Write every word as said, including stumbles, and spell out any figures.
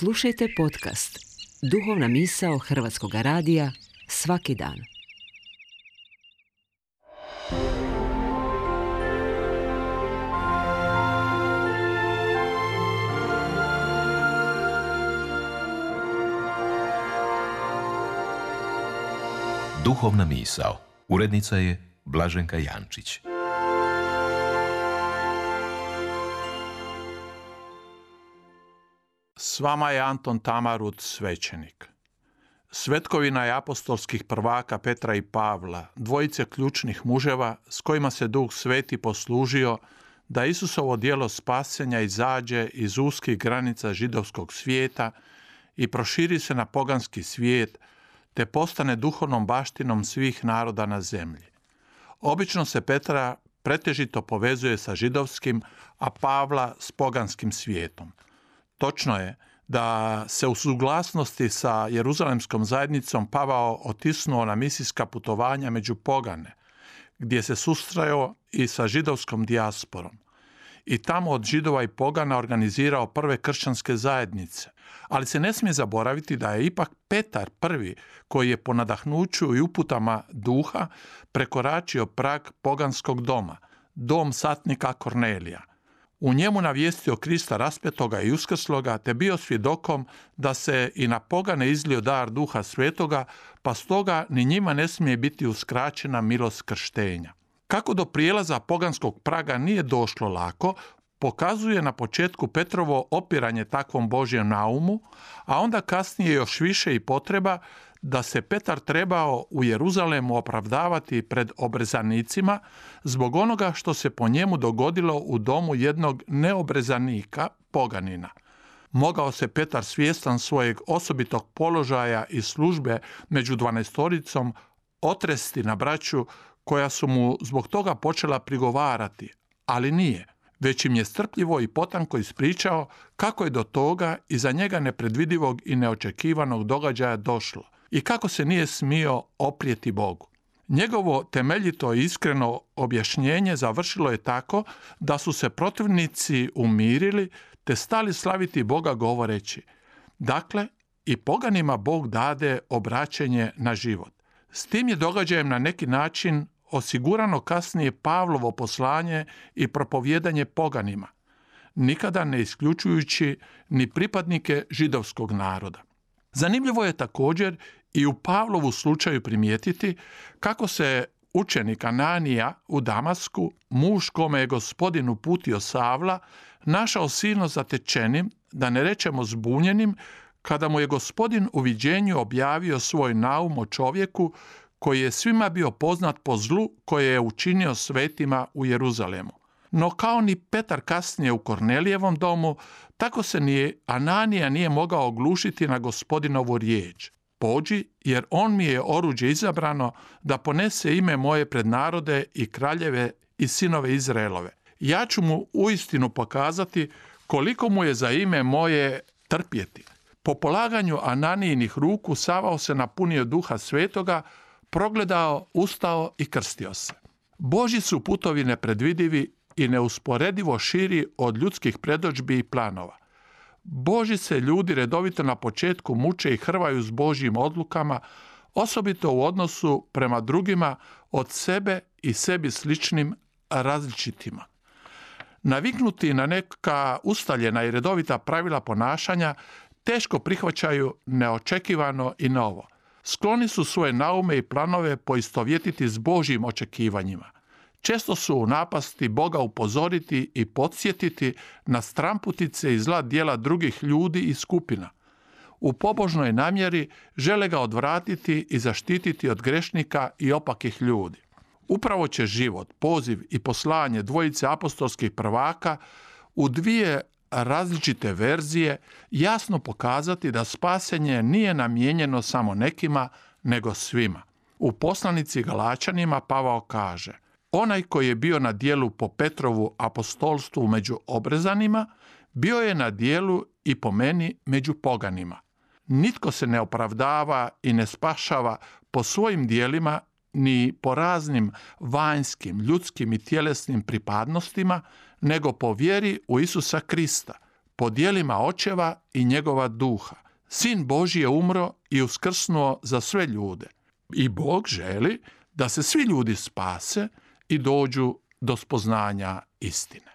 Slušajte podcast Duhovna misao Hrvatskog radija svaki dan. Duhovna misao. Urednica je Blaženka Jančić. S vama je Anton Tamarut, svećenik. Svetkovina je apostolskih prvaka Petra i Pavla, dvojice ključnih muževa s kojima se Duh Sveti poslužio da Isusovo djelo spasenja izađe iz uskih granica židovskog svijeta i proširi se na poganski svijet, te postane duhovnom baštinom svih naroda na zemlji. Obično se Petra pretežito povezuje sa židovskim, a Pavla s poganskim svijetom. Točno je da se u suglasnosti sa Jeruzalemskom zajednicom Pavao otisnuo na misijska putovanja među pogane, gdje se susreo i sa židovskom dijasporom. I tamo od židova i pogana organizirao prve kršćanske zajednice. Ali se ne smije zaboraviti da je ipak Petar prvi koji je po nadahnuću i uputama duha prekoračio prag poganskog doma, dom satnika Kornelija. U njemu navijestio Krista raspetoga i uskrsloga, te bio svjedokom da se i na pogane izlio dar Duha Svetoga, pa stoga ni njima ne smije biti uskraćena milost krštenja. Kako do prijelaza poganskog praga nije došlo lako, pokazuje na početku Petrovo opiranje takvom Božjem naumu, a onda kasnije još više i potreba da se Petar trebao u Jeruzalemu opravdavati pred obrezanicima zbog onoga što se po njemu dogodilo u domu jednog neobrezanika, poganina. Mogao se Petar, svjestan svojeg osobitog položaja i službe među dvanaestoricom, otresti na braću koja su mu zbog toga počela prigovarati, ali nije, već im je strpljivo i potanko ispričao kako je do toga i za njega nepredvidivog i neočekivanog događaja došlo i kako se nije smio oprijeti Bogu. Njegovo temeljito i iskreno objašnjenje završilo je tako da su se protivnici umirili te stali slaviti Boga govoreći: dakle, i poganima Bog dade obraćenje na život. S tim je događajem na neki način osigurano kasnije Pavlovo poslanje i propovjedanje poganima, nikada ne isključujući ni pripadnike židovskog naroda. Zanimljivo je također i u Pavlovu slučaju primijetiti kako se učenik Ananija u Damasku, muž kome je Gospodin uputio Savla, našao silno zatečenim, da ne rečemo zbunjenim, kada mu je Gospodin u viđenju objavio svoj naum o čovjeku koji je svima bio poznat po zlu koje je učinio svetima u Jeruzalemu. No kao ni Petar kasnije u Kornelijevom domu, tako se ni Ananija nije mogao oglušiti na Gospodinovu riječ: pođi, jer on mi je oruđe izabrano da ponese ime moje pred narode i kraljeve i sinove Izraelove. Ja ću mu uistinu pokazati koliko mu je za ime moje trpjeti. Po polaganju Ananijinih ruku Savao se napunio Duha Svetoga, progledao, ustao i krstio se. Božji su putovi nepredvidivi i neusporedivo širi od ljudskih predodžbi i planova. Božji se ljudi redovito na početku muče i hrvaju s Božjim odlukama, osobito u odnosu prema drugima od sebe i sebi sličnim različitima. Naviknuti na neka ustaljena i redovita pravila ponašanja, teško prihvaćaju neočekivano i novo. Skloni su svoje naume i planove poistovjetiti s Božjim očekivanjima. Često su u napasti Boga upozoriti i podsjetiti na stramputice i zla djela drugih ljudi i skupina. U pobožnoj namjeri žele ga odvratiti i zaštititi od grešnika i opakih ljudi. Upravo će život, poziv i poslanje dvojice apostolskih prvaka u dvije različite verzije jasno pokazati da spasenje nije namijenjeno samo nekima, nego svima. U poslanici Galačanima Pavao kaže: onaj koji je bio na djelu po Petrovu apostolstvu među obrezanima, bio je na djelu i po meni među poganima. Nitko se ne opravdava i ne spašava po svojim djelima ni po raznim vanjskim, ljudskim i tjelesnim pripadnostima, nego po vjeri u Isusa Krista, po dijelima očeva i njegova duha. Sin Božji je umro i uskrsnuo za sve ljude. I Bog želi da se svi ljudi spase i dođu do spoznanja istine.